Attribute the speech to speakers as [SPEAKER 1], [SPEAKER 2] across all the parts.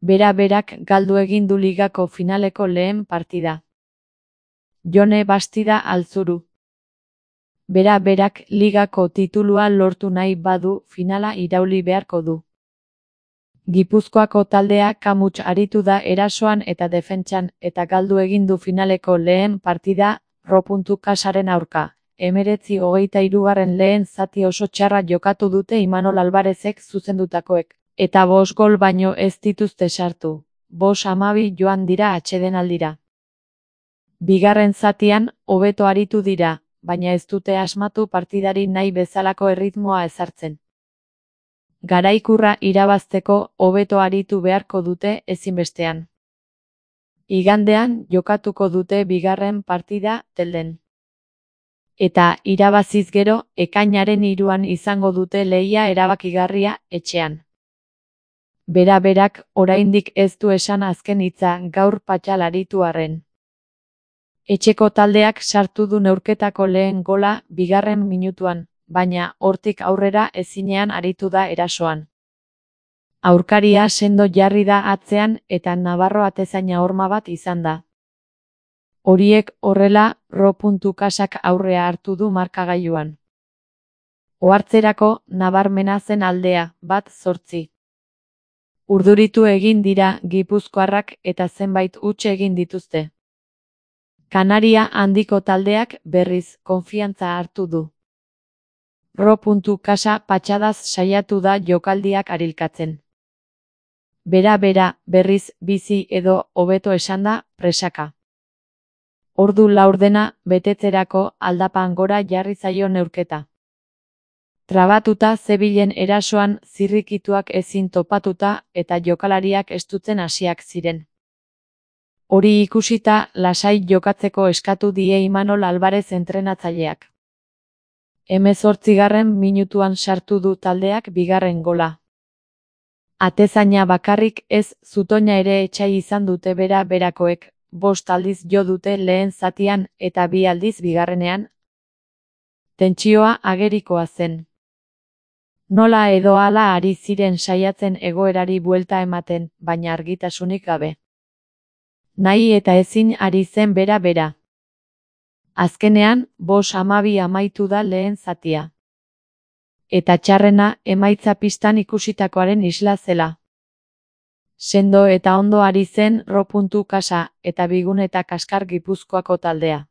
[SPEAKER 1] Bera-berak galdu egin du ligako finaleko lehen partida. Jone Bastida Altzuru. Bera-berak ligako titulua lortu nahi badu finala irauli beharko du. Gipuzkoako taldea kamuts aritu da erasoan eta defentsan eta galdu egin du finaleko lehen partida Ro.Casaren aurka. 19-23 lehen zati oso txarra jokatu dute Imanol Alvarezek zuzendutakoek, eta 5 gol baino ez dituzte sartu. 5-12 joan dira atsedenaldira. Bigarren zatian, hobeto aritu dira, baina ez dute asmatu partidari nahi bezalako erritmoa ezartzen. Garaikurra irabazteko hobeto aritu beharko dute ezinbestean. Igandean jokatuko dute bigarren partida Telden. Eta irabaziz gero, ekainaren 3 izango dute lehia erabakigarria etxean. Bera-berak oraindik ez du esan azken hitza gaur Patxal aritu arren. Etxeko taldeak sartu du neurketako lehen gola bigarren minutuan, baina hortik aurrera ezinean aritu da erasoan. Aurkaria sendo jarri da atzean eta Navarro atezaina horma bat izan da. Horiek horrela, Ro.Casak aurrea hartu du markagailuan. Ohartzerako, nabarmena zen aldea, 1-8. Urduritu egin dira gipuzkoarrak eta zenbait huts egin dituzte. Kanaria handiko taldeak berriz konfiantza hartu du. Ro.Casa patxadaz saiatu da jokaldiak arilkatzen. Bera-bera, berriz, bizi edo, hobeto esanda, presaka. Ordu laurdena, betetzerako aldapan gora jarri zaio neurketa. Trabatuta zebilen erasoan zirrikituak ezin topatuta eta jokalariak estutzen hasiak ziren. Hori ikusita, lasai jokatzeko eskatu die Imanol Alvarez entrenatzaileak. 18. minutuan sartu du taldeak bigarren gola. Atezaina bakarrik ez, zutoina ere etxai izan dute bera-berakoek, 5 aldiz jo dute lehen zatian eta 2 aldiz bigarrenean. Tentsioa agerikoa zen. Nola edo hala ari ziren saiatzen egoerari buelta ematen, baina argitasunik gabe. Nahi eta ezin ari zen bera-bera. Azkenean, 5-12 amaitu da lehen zatia. Eta txarrena, emaitza pistan ikusitakoaren isla zela. Sendo eta ondo ari zen Ro.Casa eta Bigun eta Kaskar Gipuzkoako taldea.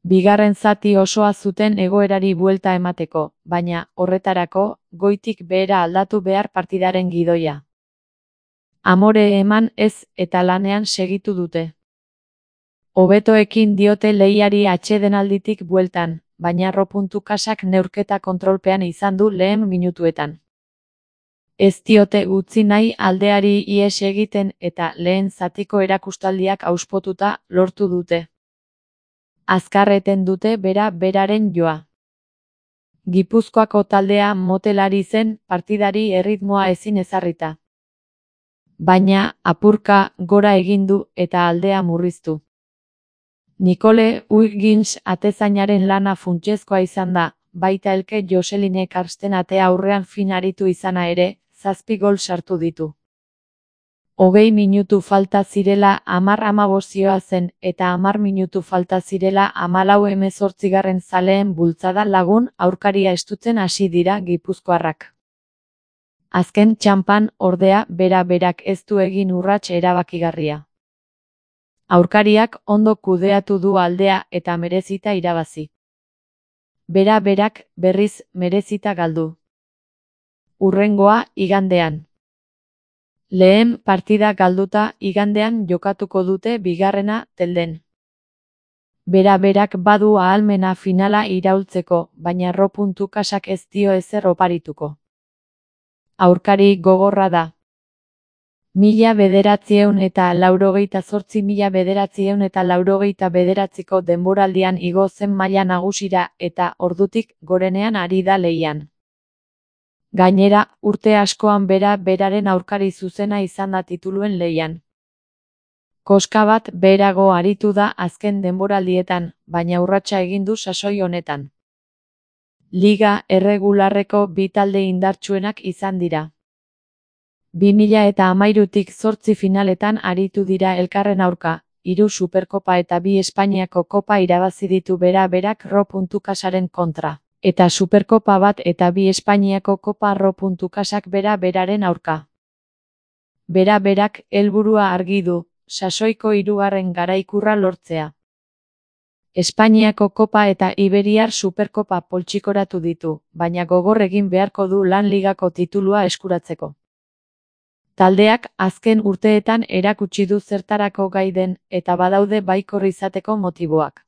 [SPEAKER 1] Bigarren zati osoa zuten egoerari buelta emateko, baina, horretarako, goitik behera aldatu behar partidaren gidoia. Amore eman ez eta lanean segitu dute. Hobeto ekin diote lehiari atsedenalditik bueltan, baina Ro.Casak neurketa kontrolpean izan du lehen minutuetan. Ez diote utzi nahi aldeari ihes egiten eta lehen zatiko erakustaldiak auspotuta lortu dute. Azkarreten dute bera-beraren joa. Gipuzkoako taldea motelari zen partidari erritmoa ezin ezarrita. Baina, apurka gora egin du eta aldea murriztu. Nicole Huygens atezainaren lana funtsezkoa izan da, baita Elke Joselinek Karsten atea aurrean fin aritu izana ere, 7 gol sartu ditu. 20 minutu falta zirela 10-15 zen eta 10 minutu falta zirela 14 zaleen bultzada lagun aurkaria estutzen hasi dira gipuzkoarrak. Azken txanpan ordea bera-berak ez du egin urrats erabakigarria. Aurkariak ondo kudeatu du aldea eta merezita irabazi. Bera-berak berriz merezita galdu. Hurrengoa igandean. Lehen partida galduta igandean jokatuko dute bigarrena Telden. Bera-berak badu ahalmena finala iraultzeko, baina Ro.Casak ez dio ezer oparituko. Aurkari gogorra da. 1988-1989ko denboraldian igo zen maila nagusira eta ordutik gorenean ari da lehian. Gainera, urte askoan bera-beraren aurkari zuzena izan da tituluen lehian. Koska bat beherago aritu da azken denboraldietan, baina urratsa egin du sasoi honetan. Liga erregularreko bi talde indartsuenak izan dira. 2013tik 8 finaletan aritu dira elkarren aurka, 3 Superkopa eta 2 Espainiako Kopa irabazi ditu bera-berak Ro.Casaren kontra, eta Superkopa bat eta 2 Espainiako Kopa Ro.Casak bera-beraren aurka. Bera-berak helburua argi du, sasoiko 3. garaikurra lortzea. Espainiako Kopa eta Iberiar Superkopa poltsikoratu ditu, baina gogor egin beharko du lan ligako titulua eskuratzeko. Taldeak azken urteetan erakutsi du zertarako gai den, eta badaude baikor izateko motiboak.